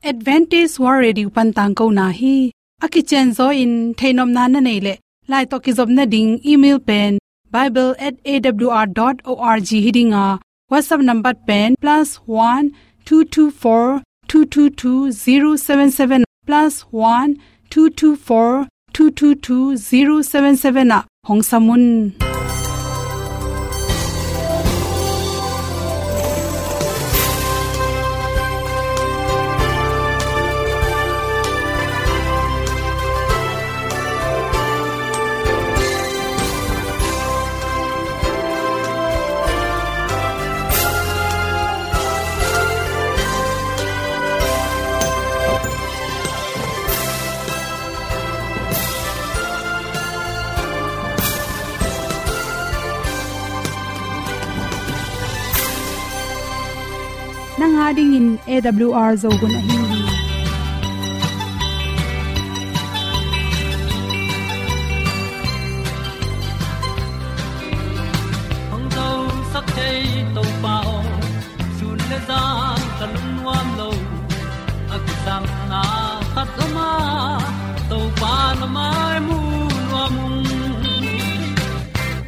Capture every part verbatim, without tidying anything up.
Adventist World Radio pan tangkona hi. A kicianzaw in theihnopna na neih leh, lai tawh kizopna ding email pen bible at A W R dot org hi ding a, WhatsApp number pen plus one two two four two two two zero seven seven, plus one two two four two two two zero seven seven ah hong sam un. Nang a dingin A W R Zo hun ahi hi. Hong zosak thei Topa aw, sun le zan ka lungnuam lo. A kisapna khat om a, Topa na mai mu nuam ung.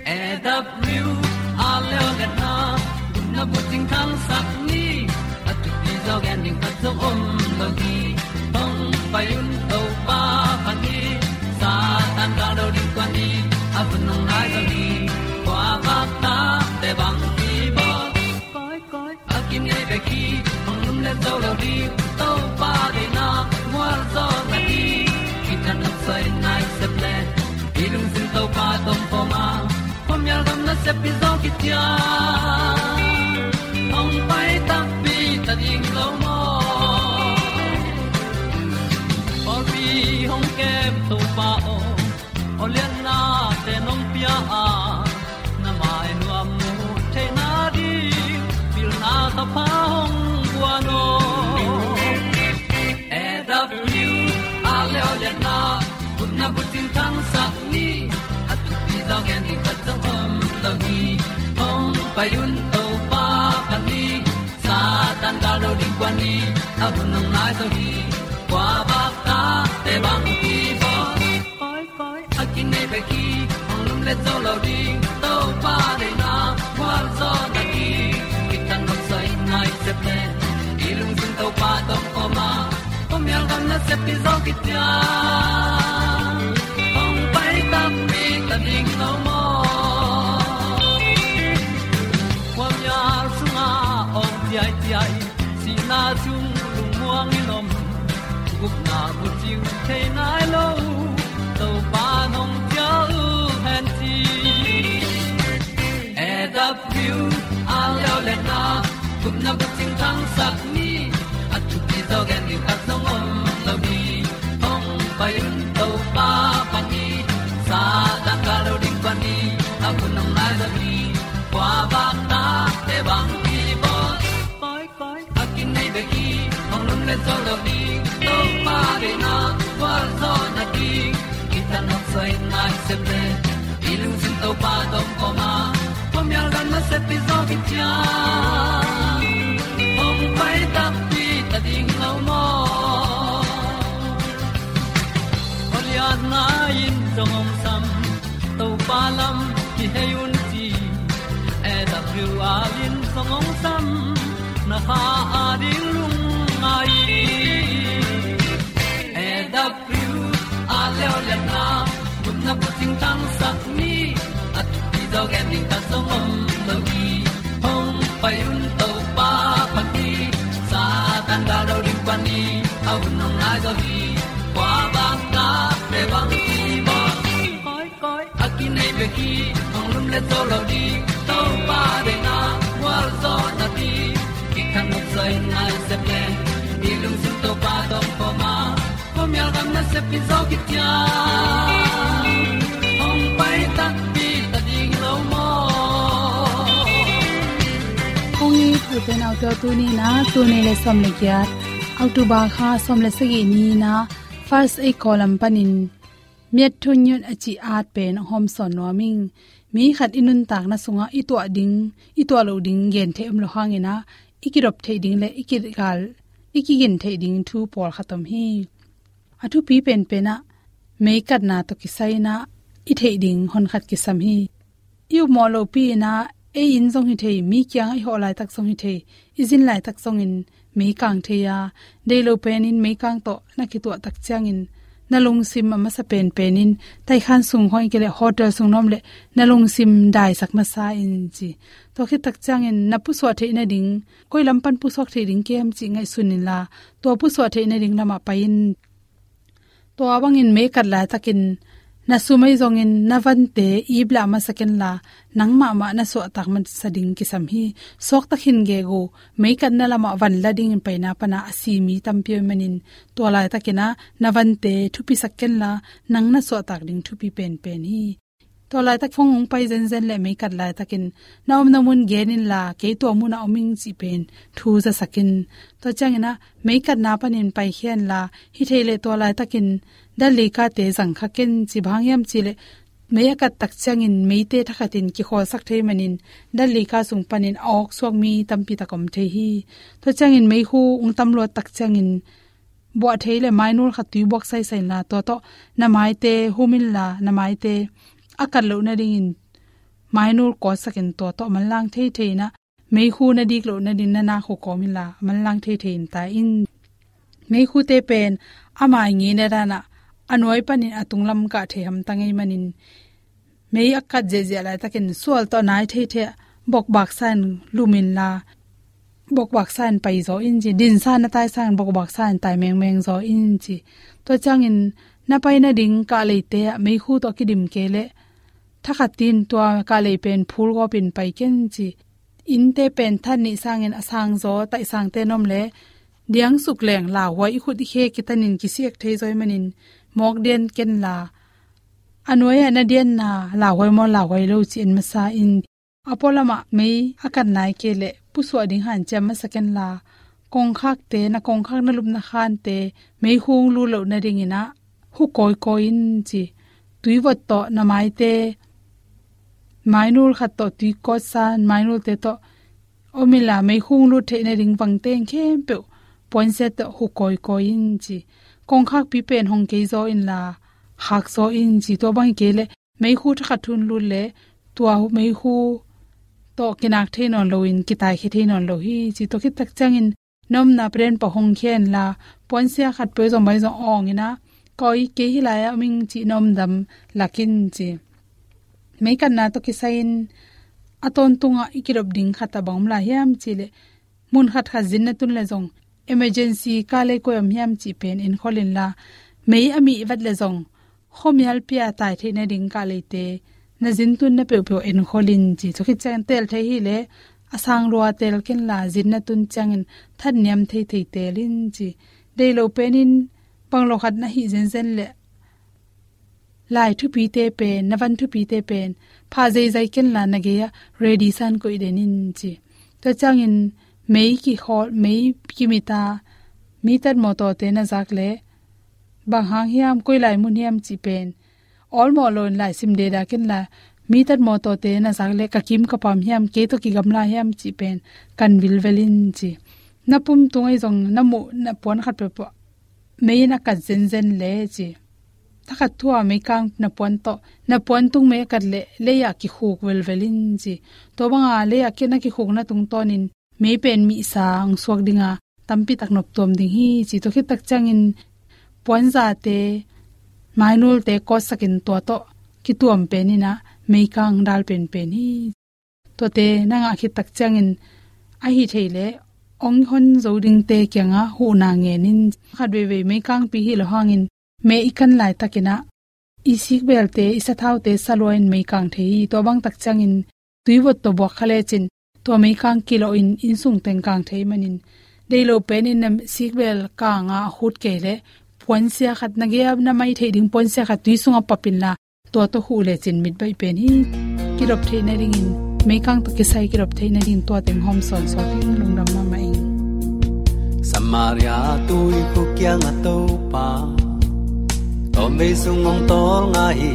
A W R leo le na, na bucing thangsak ni, a thupi zaw gen ding khat zong om lo hi. Hong pai un Topa phat ni, Satan gal do ding tuan ni, a hun hong nai zo hi. Kua bak ta te bang hi bawl. Koi, koi, a kinei bek hi, hong lum le zo lo ding, Topa deihna mual zaw na hi. Kitang nok soi nai sep le, i lungsim Topa tawh pom a, khuamial gam nasep i zaw khit ciang, hong pai takpi ta ding lo maw? Pawlpi hong kem Topa aw, aw liannate nong pia a, na mai nuam mu theihna ding pilna ka pha hong guan aw. A W R leo le na, gupna bucing thangsak ni, a thupi zaw gen ding khat zong om lo hi. Hong pai un Topa phat ni, Satan gal do ding kuan ni, a hun hong nai zo hi. Kua bak ta te bang hi bawl. Koi, koi, a kinei bek hi, hong lum le zo lo ding, Topa deihna mual zaw na hi. Kitang nok soi nai sep le, i lungsim Topa tawh pom a, khuamial gam nasep i zaw khit ciang, hong pai takpi ta ding lo maw? Khuamial sungah awng ciaiciai, sihna sung lungmuang in om, gupna bucing thei nai lo, Topa nong ciah uh hen ci. A W R leo le na, gupna bucing thangsak ni, a thupi zaw gen ding khat zong om lo hi. Hong pai un Topa phat ni, Satan gal do ding kuan ni, a hun hong nai zo hi. Kua bak ta te bang hi bawl. Koi, koi, a kinei bek hi, hong lum le zo lo ding, Topa deihna mual zaw na hi. Kitang nok soi nai sep le, i lungsim Topa tawh pom a, khuamial gam nasep i zaw khit ciang, hong pai takpi ta ding lo maw? Aw lianna in zong hong sam, Topa lam kihei un ci. A W R in zong hong sam, na kha a ding lungngai. A W R leo le na, gupna bucing thangsak ni, a thupi zaw gen ding khat zong om lo hi. Hong pai un Topa phat ni, Satan gal do ding kuan ni, a hun hong nai zo hi. Kua bak ta te bang hi bawl. Koi, koi, a kinei bek hi, hong lum le zo lo ding, Topa deihna mual zaw na hi. Kitang nok soi nai sep le, i lungsim Topa tawh pom a, khuamial gam nasep i zaw khit ciang, hong pai takpi ta ding lo maw? Kong it u pen auto tuni na, tul nih le sawm le giat, October kha sawm le sagih ni na, First Aid Column panin, Miat thu nyut a cih at pen hong hawmsawn nuam ing. Mi khat i nuntakna sungah i tuah ding, i tuah loh ding gen theih om lo hangin ah, i kidop theih ding le i kigal i kigin theih ding thu pawlkhat om hi. A thupi penpen ah meikatna tawh kisai-in ah i theih ding honkhat kisam hi. I upmawh lopi in ah ei inn zong hi thei, mi kiangah i hawh laitak zong hi thei, i zin laitak zongin meikang thei a, deih loh penin meikang tawh na kituah tak ciangin na lungsim a masa penpenin taikhan sung khawng hi kei leh hotel sung nuam leh na lungsim daisak masa in ci. Tua khit tak ciangin na pusuah theih nading, koi lam pan pusuak theih ding kem cih ngaihsun inla, tua pusuah theih nading lamah pai in. Tua bangin meikat laitakin na sum ahi zongin na vante iplah masa kenla, nang mahmah na suahtak masa ding kisam hi. Suakta khin gegu, meikatna lamah van la dingin paina pana a si mi tampi om manin, tua laitakin ah na vante thupisak kenla, nang na suahtak ding thupi penpen hi. Tua laitak phone hong pai zenzen leh meikat laitakin na omna mun gen inla, kei tua munah om ing cih pen thu zasak in. Tua ciangin ah meikatna panin paikhia inla, hi thei leh tua laitakin dal leikate zangkha ken ci. Bang hang hiam cih leh mei a kat tak ciangin meite thakhatin kikhawlsak thei manin dal leika sung panin a awksuak mi tampi tak om thei hi. Tua ciangin meikhu hong tamluat tak ciangin buah thei leh mainul khat tui buak saisai inla, tua tawh na maite hum inla, na maite a kat loh nadingin mainul kawtsak in, tua tawh manlang theithei in ah, meikhu na dik loh nading na nakhu kawm inla manlang theithei in tai in. Meikhute pen a mai ngeina dan ah a nuai panin a tunglam kah thei hamtang ahih manin, mei a kat ziahziah laitakin sual tawh nai theithei ah bokbaksa in lum inla, bokbaksa in pai zaw in ci. Dinsa na tai sangin bokbaksa in tai mengmeng zaw in ci. Tua ciangin na pai nading kah leite ah meikhu tawh kidim kei leh, thakhatin tua kah lei pen phulgawpin pai ken ci. Innte pen than nih sangin a sang zaw, taihsangte nuam leh diangsuk leng lauhuai, i khut i khe kitanin kisiak thei zaw ahih manin mawk dian kenla, a nuai-ah na dianna lauhuai maw lauhuai lo ci en masa in. A pualamah mei a kat nai kei leh pusuah ding hanciam masa kenla, kongkhakte, na kongkhak na lupna khante meikhu hong lut loh nadingin ah hu kawikawi in ci. Tuivot tawh na maite, mainul khat tawh tui kawtsa, mainulte tawh om inla, meikhu hong lut theih nading vangteng khempeuh puansia tawh hu kawikawi in ci. Kongkhakpi pen hong kei zaw inla, khak zaw in ci. Tua bang hi kei leh meikhu thakhat thu hong lut leh tua meikhu tawh kinak thei nawn loin kitaikhia thei nawn lo hi ci. Tua khit tak ciangin na omna pen pah hong khia inla, puansia khat peuh zong bai zong awng in ah, koi kei hih lai-ah om ing cih na omdam lak in ci. Meikatna tawh kisai-in a tawntungah i kidop ding khat ah bang om lai hiam cih leh, mun khatkhat zin na tun leh zong emergency kah lei koi om hiam cih pen enkhol inla, mei a mih vat leh zong khuamialpi-a tai theih nading kah leite na zin tunna peuhpeuh enkhol in ci. Tua khit ciangin teel thei hi leh a sang lua teel kenla, zin na tun ciangin thanniam theithei teel in ci. Deih loh penin bang lo khat na hih zenzen leh, lai thupite pen, na van thupite pen phah zeizai kenla, na gei-ah ready sa-in koih den in ci. Tua ciangin mei kikhawl, mei kimit a, mi tat mawtawte na zak leh bang hang hiam, koi lai mun hiam cih pen awlmawh loin laisim deda kenla, mi tat mawtawte na zak leh ka kim ka pam hiam, kei tawh kigamla hiam cih pen kan vilvel in ci. Na pum tung ahi zong na muh na puan khat peuhpeuh mei in a kat zenzen leh ci. Thakhat thu-a meikang na puan tawh, na puan tung mei a kat leh lei-ah kikhuk velvel in ci. Tua banga lei-ah ki-, na kikhukna tungtawnin mei pen mihsa hong suak dinga tampi tak noptuam ding hi ci. Tua khit tak ciangin puanzate, mainulte kawtsakin tua tawh kituam pen in ah meikang dal penpen hi. Tuate na ngah khit tak ciangin ahi thei leh hong hon zo dingte kiangah huhna ngen in. Khat veivei meikangpi hi lo hangin mei i kan laitakin ah i sikbelte, i sathaute sa lua in meikang thei hi. Tua bang tak ciangin tuivot tawh buak kha lecin tua meikang kilawh in innsung teng kang thei manin, deih loh penin na sikbel kanga a khut kei leh puansia khat, na gei-a na mai theih ding puansia khat tui sungah pap inla, tua tawh huh lecin mit baih pen hi. Kidop theih nadingin meikang tawh kisai kidop theih nadingin tua teng hawm sawnsawn ding, lungdam mahmah ing. Samaria tuikhuk kiangah Topa tawmvei sung hong tawlnga hi.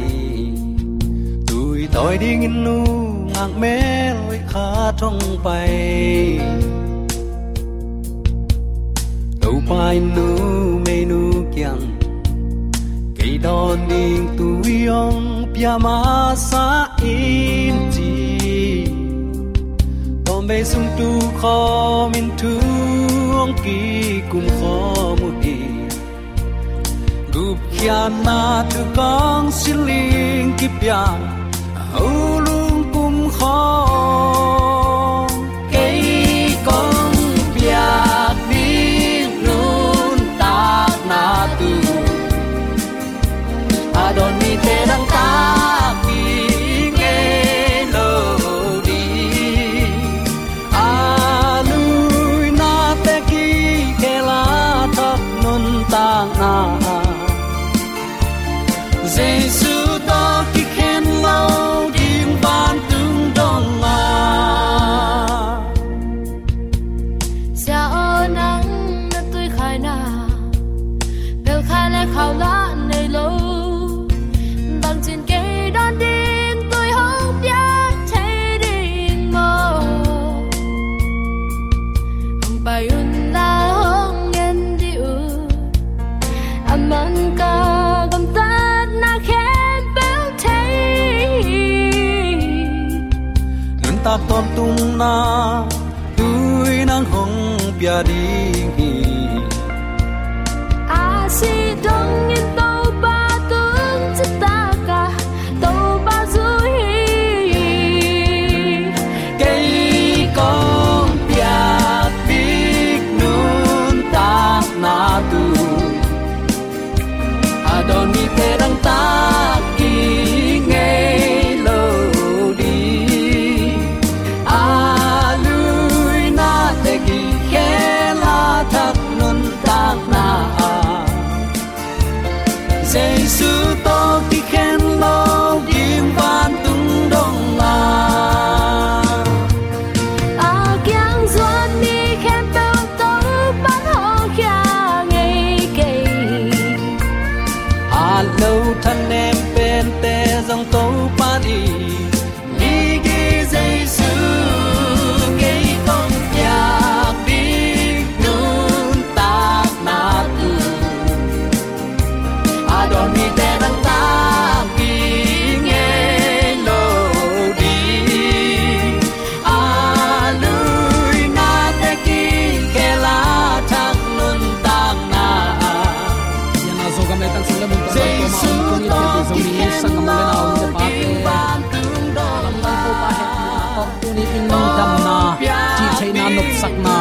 Tui tawi dingin nungak mel hoih khat hong pai. Topa in numeinu kiang, kei dawn ding tui hong pia masa in, ci. Tawmvei sung tu khawm in thu hong kikum khawm uh hi. Gupkhiatna thu kong siling kipia, a ho lungkum khawm. Kei kong piak ding nuntakna thu, a dawn mite dangtak ding ngei lo ding. A luina te kikhel a thak nuntakna, Jesu tawh kikhen lo ding vantung dong a. Sia aw, nang na tui khaina, pel khai le khau la nei lo. Bangcin kei dawn ding tui hong pia thei ding maw? Hong pai un la, hong en dih un. A man ka gamtatna khempeuh thei. Nuntak tawntungna tui nang hong pia ding hi. A sih dongin Topa tung citak a, Topa zui hi. Kei kong piak ding nuntakna thu, a dawn mite dangtak ding ngei lo ding. A luina te kikhel a thak nuntakna, Jesu tawh kikhen lo ding vantung dong a. A kiang zuan mi khempeuh Topa'n hawlkhia ngei kei. At lo thanem pente zong Topa'n i gige. Jesu, kei kong piak ding nuntakna thu, a dawn mite dangtak ding ngei lo ding. A luina te kikhel a thak nuntakna, Sian a Zogam leitang sung le mun tua Jesu tawh kikhen lo ding vantung dong a. Tuni in damna, cihtheihna, nopsakna,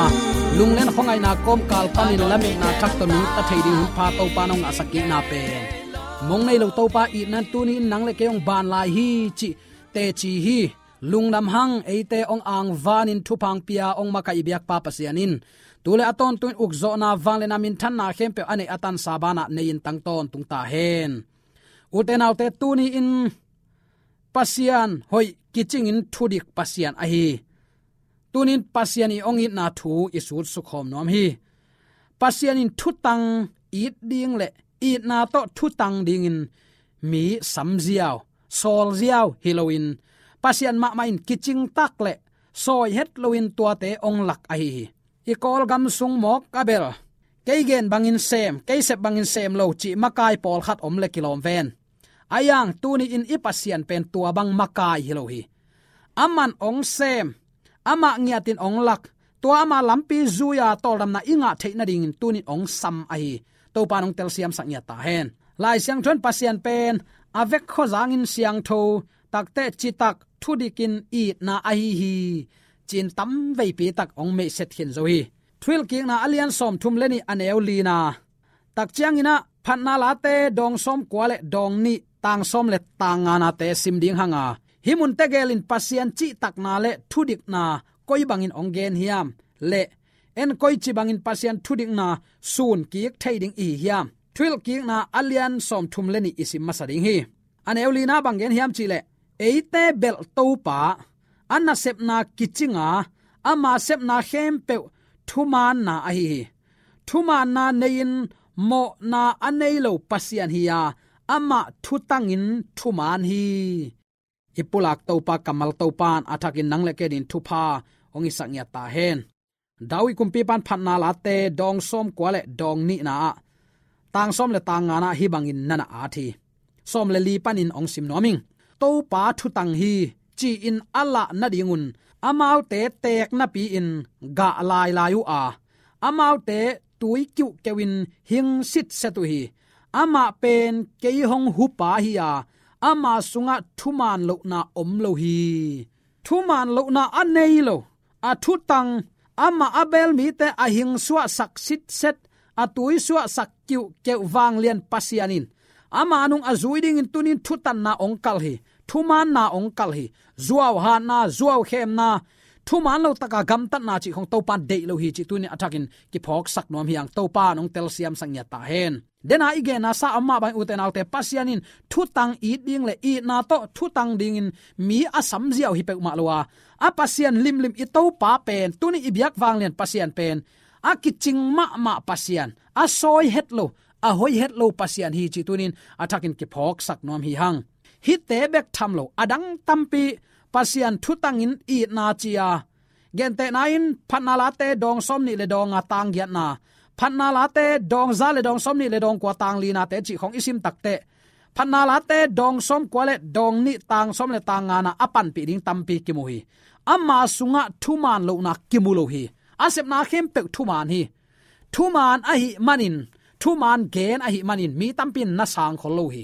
lunglen khuangaihna kawmkal panin lametna thak tawh nungta thei ding hun pha Topa nong ngahsak kikna pen, mong nei lo Topa itna in tuni in nang le kei hong ban lai hi cih teci hi. Lungdam hang, eite hong angvanin thupha hong pia hong makaih i biakpa Pasian in tu le a tawntung in ukzawhna, vangliatna, minthanna khempeuh a neih a tansa banah nei in tang tawntung ta hen. Ute naute, tuni in Pasian hoih kicingin thudik Pasian ahi. Tuni in Pasian i hong itna thu i sut sukhawm nuam hi. Pasian in thutang it ding le itna tawh thutang dingin mi samziau, sawlziau hi loin, Pasian mahmah in kicing tak le sawi het loin tuate hong lak ahi hi. I Kawlgam sung mawk a bel, kei gen bangin sem, kei sep bangin sem lo cih makai pawlkhat om le kilawm ven. A iang tuni in i Pasian pen tua bang makai hi lo hi. Aman hong sem, amah ngiatin hong lak, tua ama lampi zui-a tawldamna i ngah theih nadingin tuni in hong sam ahi. Topa in hong telsiamsak ngiat ta hen. Lai Siangtho in Pasian pen a vek khuazangin siangtho, takte citak, thudikin itna ahi hi, ci-in tamveipi tak hong meihset khin zo hi. Thuhilhkikna a lian sawmthum le nih, a neu lina, tak ciangin ah Phatna Late dawng sawmkua le dawng nih, tang sawm le tang nganate sim ding hang a, hih mun tegel in Pasian cihtakna le thudikna koi bangin hong gen hiam le en koici bangin Pasian thudikna sun kik thei ding i hi hiam? Thuhilhkikna a lian sawmthum le nih i sim masa ding hi. A neu lina bang gen hiam cih leh, eite belh Topa, a nasepna kicing a, ama sepna khempeuh thumaanna ahi hi. Thumaanna nei-in mawhna a nei lo Pasian hi a, amah thutangin thumaan hi. I pulak Topa, kammal Topa in a thakin nang le kei adingin thupha hong hisak ngiat ta hen. David kumpipa'n Phatna Late dawng sawmkua le dawng nihna ah, tang sawm le tang ngana ah hih bangin na na at hi. Sawm le li panin hong sim nuam ing. Topa thutang hi, ci-in a lah nadingun amaute teek napi-in gah lailai uh a, amaute tui kiuhkeuh in hing sitset uh hi. Amah pen kei hong hupa hi a, ama sungah thuman lohna om lo hi. Thuman lohna a nei lo, a thutang, amah a beel mite a hing suahsak sitset, a tui suahsak kiuhkeuh vanglian Pasian in ama nung a zui dingin tuni-in thutanna hong kalh hi. Thumaanna hong kalh hi. Zuauhatna, zuaukhemna, thuman lo taka gamtatna cih khawng Topa'n deih lo hi cih tuni-in a thakin kiphawksak nuam hi hang. Topa'n hong telsiamsak ngiat ta hen. Dena i genna sa a om mah bangin, ute naute, Pasian in thutang it ding le itna tawh thutang dingin mi a sam ziau hi peuhmah lo a, a Pasian limlim i Topa pen, tuni i biak vanglian Pasian pen a kicing mahmah Pasian, a sawi het lo, a hoih het lo Pasian hi cih tuni-in a thakin kiphawksak nuam hi hang. Hihte bek tham lo, a dang tampi Pasian thutangin itna ci-a, gentehna in Phatna Late dawng sawmnih le dawng nga tang giatna, Phatna Late dawng za le dawng sawmnih le dawng kua tang linate cih khawng i sim takteh, Phatna Late dawng sawmkua le dawng nih tang sawm le tang ngana a panpih ding tampi kimu hi. Ama sungah thuman lohna kimu lo hi. A sepna khempeuh thuman hi. Thuman ahih manin, thuman gen ahih manin mi tampi in na sang khol lo hi.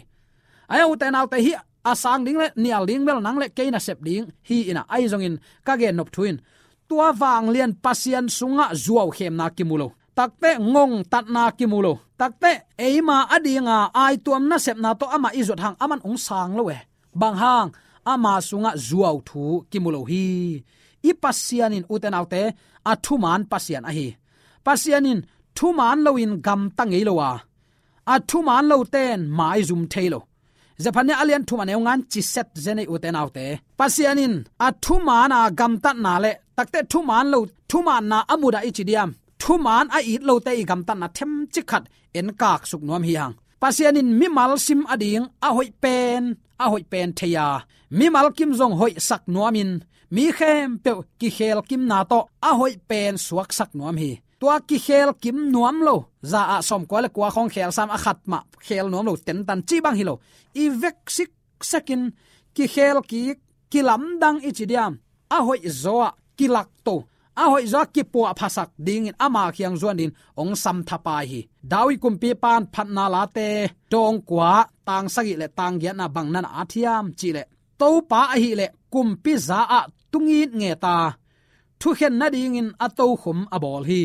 Ahi a, ute naute, hih a sang ding le nial ding bel nang le kei nasep ding hi in a, ahi zongin ka gennop thu in, tua vanglian Pasian sungah zuaukhemna kimu lo, takteh ngongtatna kimu lo, takteh eima adinga aituam nasepna tawh amah i zuat hang aman hong sang lo e. Bang hang? Ama sungah zuau thu kimu lo hi. I Pasian in, ute naute, a thuman Pasian ahi. Pasian in thuman loin gamta ngei lo a, a thuman lote'n maizum thei lo. Zephaniah a lian thum a neu nga in ci set zen ei, ute naute. Pasian in a thuman a gamtatna le takteh thuman lo, thumanna a mudah i ci diam, thuman a it lote i gamtatna themcik khat en kaksuk nuam hi hang. Pasian in mimal sim ading a hoih pen, a hoih pen thei a, mimal kim zong hoihsak nuamin, mi khempeuh kikhelkimna tawh a hoih pen suaksak nuam hi. Tua kikhelkim nuam lo, za ah sawmkua le kua khawng khel sam, a khat mah khel nuam lo, tentan cih bang hi lo. I vek siksekin kikhel kik, kilamdang i ci diam, a hoihzaw ah kilakto, a hoihzaw ah kipuahphasak dingin ama kiang zuan dingin hong samthapai hi. David kumpipa'n Phatna Late dawng kua tang sagih le tang giatna bang na na at hiam cih leh, Topa ahih leh kumpi za ah tu ngitnget a, thukhen nadingin a tokhom a bawl hi.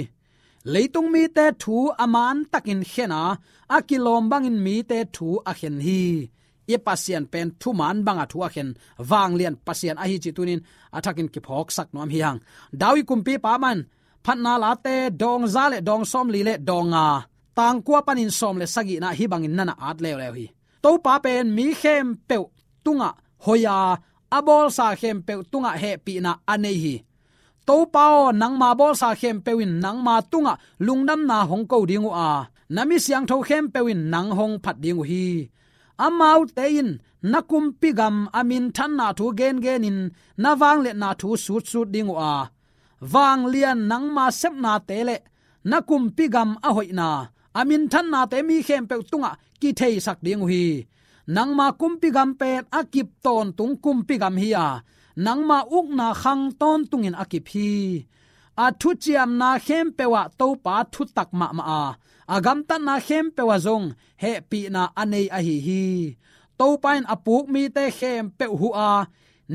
Leitung mite thu a mantakin khen a, a kilawm bangin mite thu a khen hi. I Pasian pen thuman banga thu a khen vanglian Pasian ahi cih tuni-in a thakin kiphawksak nuam hi hang. David kumpipa mah in Phatna Late dawng za le dawng sawmli le dawng nga, tang kua panin sawm le sagihna hih bangin na na at leuleu hi. Topa pen mi khempeuh tungah hoih a, a bawlsa khempeuh tungah hehpihna a nei hi. Topa aw, nangma bawlsa khempeuh in nangma tungah lungdamna hong ko ding uh a, na mi siangtho khempeuh in nang hong phat ding uh hi. Amaute in na kumpi gam a minthanna thu gengenin na vangliatna thu sutsut ding uh a, vanglian nangma sepnate le na kumpi gam a hoihna, a minthannate mi khempeuh tungah kitheisak ding uh hi. Nangma kumpi gam pen a kip tawntung kumpi gam hi a, nangma ukna khang tawntungin a kip hi. A thuciamna khempeuh ah Topa thutak mahmah a, a gamtatna khempeuh ah zong hehpihna a nei ahi hi. Topa in a puk mite khempeuh huh a,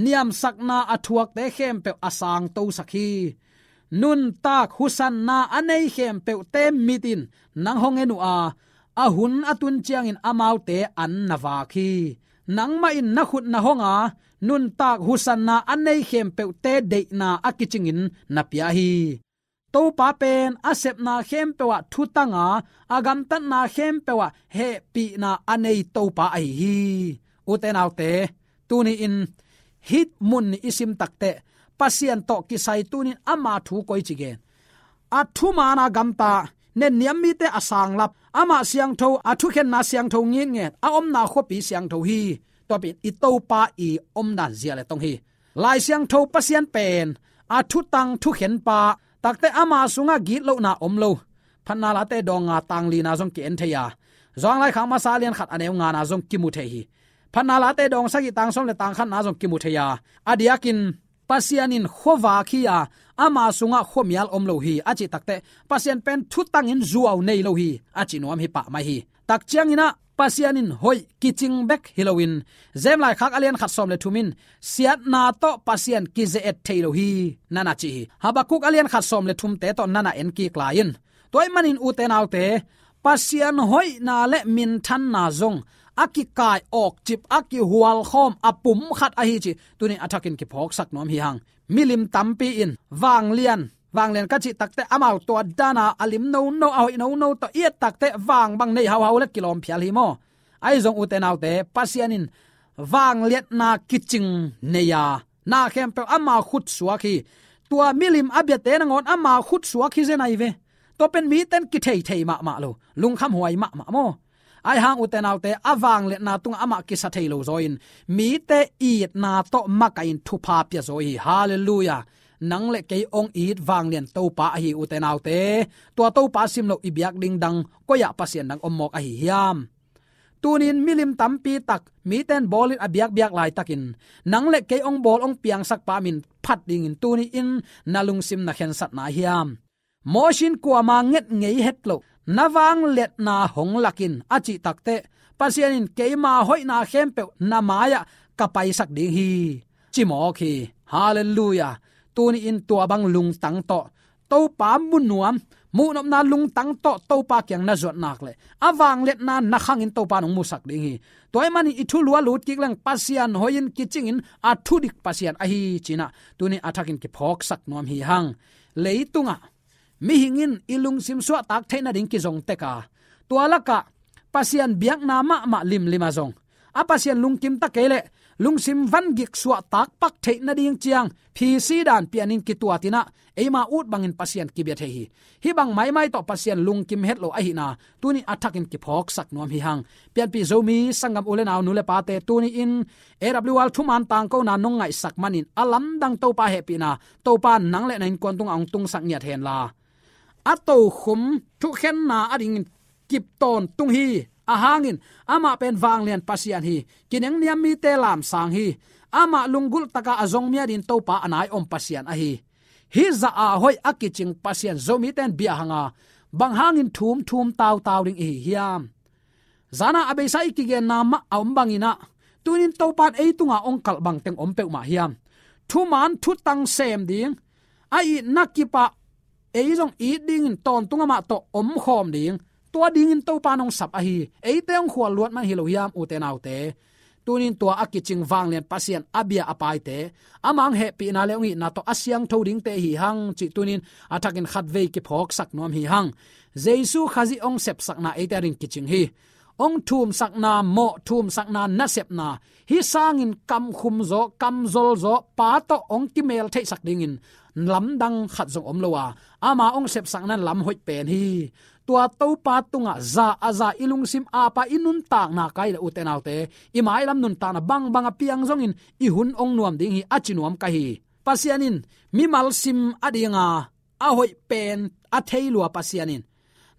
niamsakna a thuakte khempeuh a sangtosak hi. Nuntak husanna a nei khempeuhte mit in nang hong en uh a, a hun a tun ciangin amaute an na vak hi. Nangmah in na khut na hong a, nuntak husanna a nei khempeuhte deihna a kicingin na pia hi. Topa pen a sepna khempeuh ah thutang a, a gamtatna khempeuh ah hehpihna a nei Topa ahi hi. Ute naute, tuni-in hih mun nih i sim takteh, Pasian tawh kisai tuni-in ama thu koici gen? A thuman a gamta, nenniam mite a sanglap, amah siangtho, a thukhenna siangtho ngitnget, a omna khuapi siangtho hi. Tua pen i Topa i omdan zia le tong hi. Lai Siangtho Pasian pen a thutang thukhenpa, Takte ama sungah gitlohna om lo. Phatna Late dawng nga tang lina zong ki-en thei a, Johan laikhak masa lian khat a neu ngana zong kimu thei hi. Phatna Late dawng sagih tang sawm le tang khatna zong kimu thei a, a diakin Pasian in khuavak hi a, ama sungah khuamial om lo hi a cih takte, Pasian pen thutangin zuau nei lo hi a ci nuam hi pahmai hi. Tak ciangin ah Pasian in hoih kicing bek hi loin, James laikhak a lian khat sawm le thum in siatna tawh Pasian kize-et thei lo hi, na na ci hi. Habakuk a lian khat sawm le thumte tawh na na en kik lai in. Tua ahih manin ute naute, Pasian hoihna le minthanna zong a kikai awkcip, a kihualkhawm, a pum khat ahi cih tuni a thakin kiphawksak nuam hi hang. Milim tampi in vanglian, vanglian ka cih takte amau tua dana a lim nono, a hoih nono tawh i et takte vang bang nei hauhau le kilawm phial hi maw? Ahi zong ute naute, Pasian in vangliatna kicing nei a, na khempeuh ama khut suak hi. Tua milim a biate nangawn ama khut suak hi zen ahi ve. Tua pen miten kitheithei mahmah lo, lungkhamhuai mahmah maw? Ahi hang ute naute, a vangliatna tungah amah kisa thei lo zaw in, mite itna tawh makaih in thupha pia zaw hi. Halleluiah. Nang le kei hong it vanglian Topa ahi ute naute. Tua Topa sim loh i biak ding dang, koi-ah Pasian dang om mawk ahi hiam? Tuni-in milim tampi tak miten bawlin a biakbiak laitakin, nang le kei hong bawl hong piangsak pa min phat dingin tuni-in na lungsim na khensatna hiam? Mosi in kuama nget ngei het loh, na vangliatna hong lakin a cih takte, Pasian in keima hoihna khempeuh na mai-ah ka paisak ding hi, ci mawk hi. Halleluiah. Tuni-in tua bang lungtang tawh Topa mu nuam, muhnopna lungtang tawh Topa kiang na zuat nak leh, a vangliatna na khangin Topa nong musak ding hi. Tua ahih manin i thulu a lut kik leng Pasian hoih in kicingin a thudik Pasian ahi ci-in ah tuni a thakin kiphawksak nuam hi hang. Leitungah mihing in i lungsim suahtak theih nading kizong tek a, tua lakah Pasian biakna mahmah limlim a zong, a Pasian lungkim ta kei leh lungsim vangik suahtak pak theih nading ciang phisi dan pianin kituatin ah eima ut bangin Pasian kibia thei hi. Hih bang maimai tawh Pasian lungkim het lo ahihna tuni a thakin kiphawksak nuam hi hang. Pianpih Zomi sanggam u le nau, nu le pate, tuni-in A W R thuman tangkona nong ngaihsak manin a lamdang Topa hehpihna, Topa nang le na innkuan tungah hong tungsak ngiat henla, a tokhom thukhenna adingin kip tawntung hi. A hangin amah pen vanglian Pasian hi. Kinengniam mite lamsang hi. Amah lunggulh taka a zong mi adingin Topa a nai om Pasian ahi. Hih zah a hoih a kicing Pasian Zomite in bia hang a, bang hangin thum thum tautau ding i hi hiam? Zan a a beisa i kigenna mah a om bangin ah, tuni-in Topa in ei tungah hong kalh bangteng om peuhmah hiam? Thuman thutang sem ding, a itna kipah, ei zong it dingin tawntung amah tawh omkhawm ding, tua dingin Topa in hong sap ahi. Eite hong khual luat man hi lo hiam, ute naute? Tuni-in tua a kicing vanglian Pasian a bia a paite, amah hong hehpihna le hong itna tawh a siangtho dingte hi hang cih tuni-in a thakin khatvei kiphawksak nuam hi hang. Jesu Khazih hong sepsakna eite adingin kicing hi. Hong thumsakna, mawh thumsakna, nasepna, hih sangin kamkhum zaw, kamzol zaw, Pa tawh hong kimel theihsak dingin lamdang khat zong om lo a, ama hong sepsakna in lam hoih pen hi. Tua Topa tungah za a za i lungsim apa i nuntakna kai le, ute naute, i mailam nuntakna bangbang a piang zongin i hun hong nuam ding hi, a ci nuam ka hi. Pasian in mimal sim a dinga a hoih pen a thei lua Pasian in,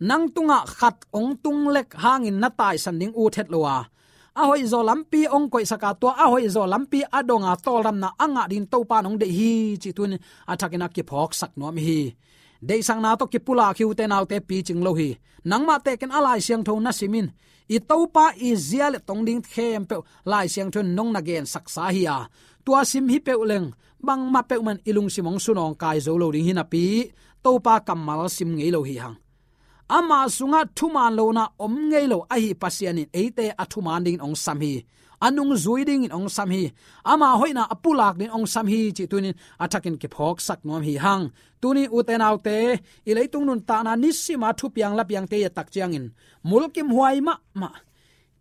nang tungah khat hong tung lek hangin na taisan ding ut het lo a, a hoihzaw lampi hong koihsak a, tua a hoihzaw lampi a dong a tawldamna a ngah dingin Topa in hong deih hi cih tuni-in a thakin a kiphawksak nuam hi. Deihsakna tawh kipulak hi, ute naute, picing lo hi. Nangmah tekin a Lai Siangtho na sim in, i Topa i zia le tong ding khempeuh Lai Siangtho in nong na gensaksa hi a, tua sim hi peuh leng bangmah peuhmah in i lungsim hong sunawngkai zo lo ding hi napi, Topa kammal sim ngei lo hi hang. Ama sungah thuman lohna om ngei lo ahi Pasian in eite a thuman dingin hong sam hi. A nungzui dingin hong sam hi. Ama hoihna a pulak dingin hong sam hi cih tuni-in a thakin kiphawksak nuam hi hang. Tuni, ute naute, i leitung nuntakna nisima thupiang lapiangte i et tak ciangin, mulkimhuai mahmah,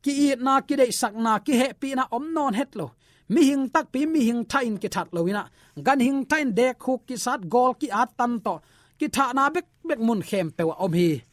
ki-itna, kideihsakna, kihehpihna om nawn het lo. Mihing takpi, mihing thahin kithat lo in ah, ganhing thahin dekkhuk kisat, gawl ki-at tan tawh kithahna bekbek mun khempeuh ah om hi.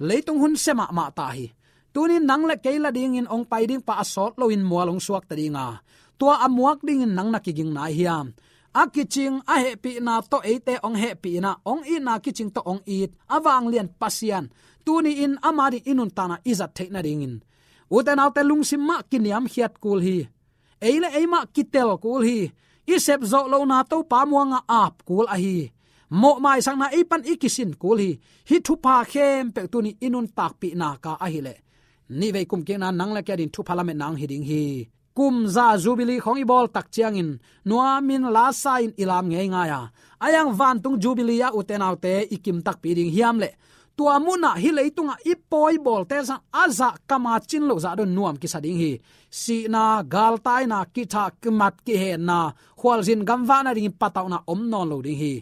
Leitung hun sia mahmah ta hi. Tuni-in nang le kei la dingin hong pai ding pa a sawt loin mual hong suakta ding a, tua a muak dingin nang na kiging nai hiam? a kicing a hehpihna tawh eite hong hehpih in ah, hong itna kicing tawh hong it a vanglian Pasian, tuni-in ama ding i nuntakna i zat theih nadingin, ute naute, lungsim mah kiniamkhiat kul hi. Ei le ei mah kitel kul hi. I sep zawh lohna Topa muanga ap kul ahi. Mawh maisakna ei pan i kisin kul hi. Hih thupha khempeuh tuni i nuntakpih nak a ahih leh, nihvei kumkikna nang le kei ading thupha lametna hong hi ding hi. Kum za Jubilee khawng i bawl tak ciangin nuamin lasa-in i lam ngeingai a, a iang vantung Jubilee ah ute naute i kim takpi ding hiam leh, tua munah hih leitungah i pawi bawlte sang a zah kama cin loh zah dong nuam kisa ding hi. Sihna, galtaina, kithah, kimat, kihenna, khualzin gamvah nadingin patauhna om nawn lo ding hi.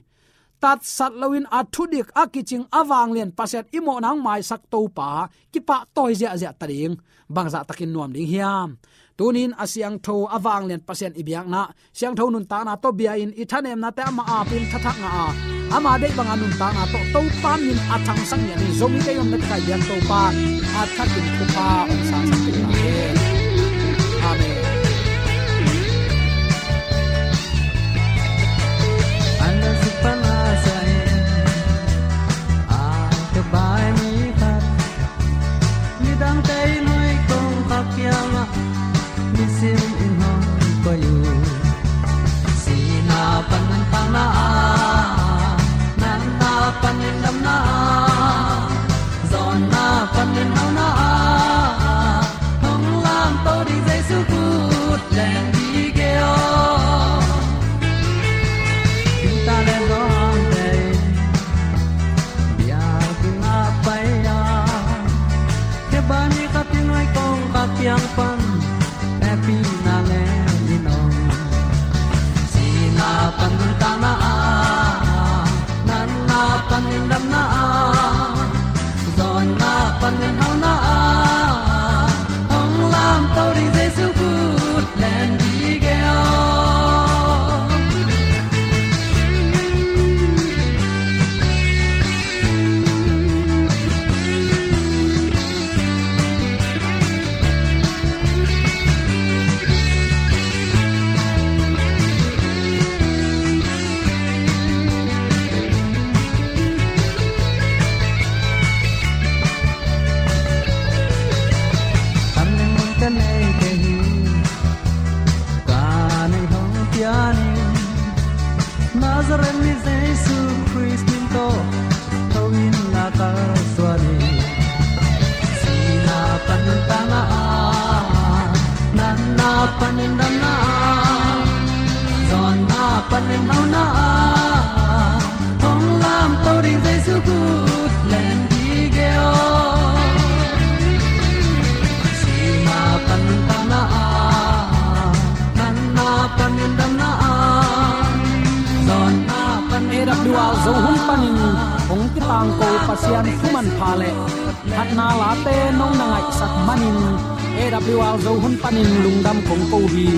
Tatsat loin a thudik a kicing a vanglian Pasian i mawhna hong maisak Topa kipahtawi ziahziah ta ding. Bangzah takin nuam ding hiam? Tunin a siangtho a vanglian Pasian i biakna, siangtho nuntakna tawh bia-in i thanemnate ama apin thathak ngah a, ama deih banga nuntakna tawh Topa min a thangsak ngiat in Zomite i omna tekai biak Topa a thakin thupha hong sangsak ta hen. Amen. An a suk pan a sa in a ka bai mi khat, midangte in hoi kong kha kiangah nisim in hong koih uh. Sihna panin tangna ah, natna panin damna ah, zawnna panin hauna ah, hong lamto ding Jesu kut len dih kei aw. Tingtang le zawngte in biakinn ah pai a, khe bai mi khat in hoi kong kha kiang pan hehpihna ngen in om. Sihna panin tangna ah, natna panin damna ah, zawnna panin hauna ah, hong lamto ding Jesu kut len dih kei aw. Kan ning mun ka nei kei hi, ka neih hong pia ning. Nazareth mi Jesu Khrist min tawh tho in la kalsuan in. Sihna panin tangna ah, natna panin damna ah, zawnna panin hauna ah, hong lamto ding Jesu kut len dih kei aw. Sihna panin tangna ah, natna panin damna ah, zawnna panin hauna ah. A W R Zo hun panin hong kitangko Pasian thu manpha le phatna late nong na ngaihsak manin A W R Zo hun panin lungdam kong ko hi.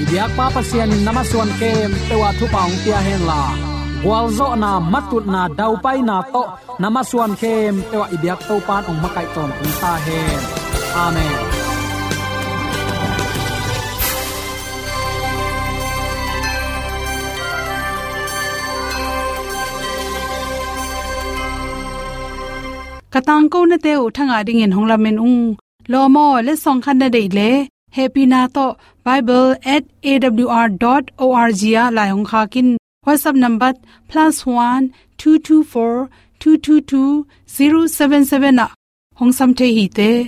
I biakpa Pasian in na masuan khempeuh ah thupha hong pia henla, gualzawhna, matutna, daupaina tawh na masuan khempeuh ah i biak Topa in hong makaih tawntung ta hen. Amen. Ka tangkonate uh thangah dingin hong lamen ung. Lawm aw, letsong khat na deih leh, hehpihna tawh bible at A W R dot O R G ah lai hong khak in. WhatsApp number plus one two two four two two two zero seven seven ah hong sam thei hi te.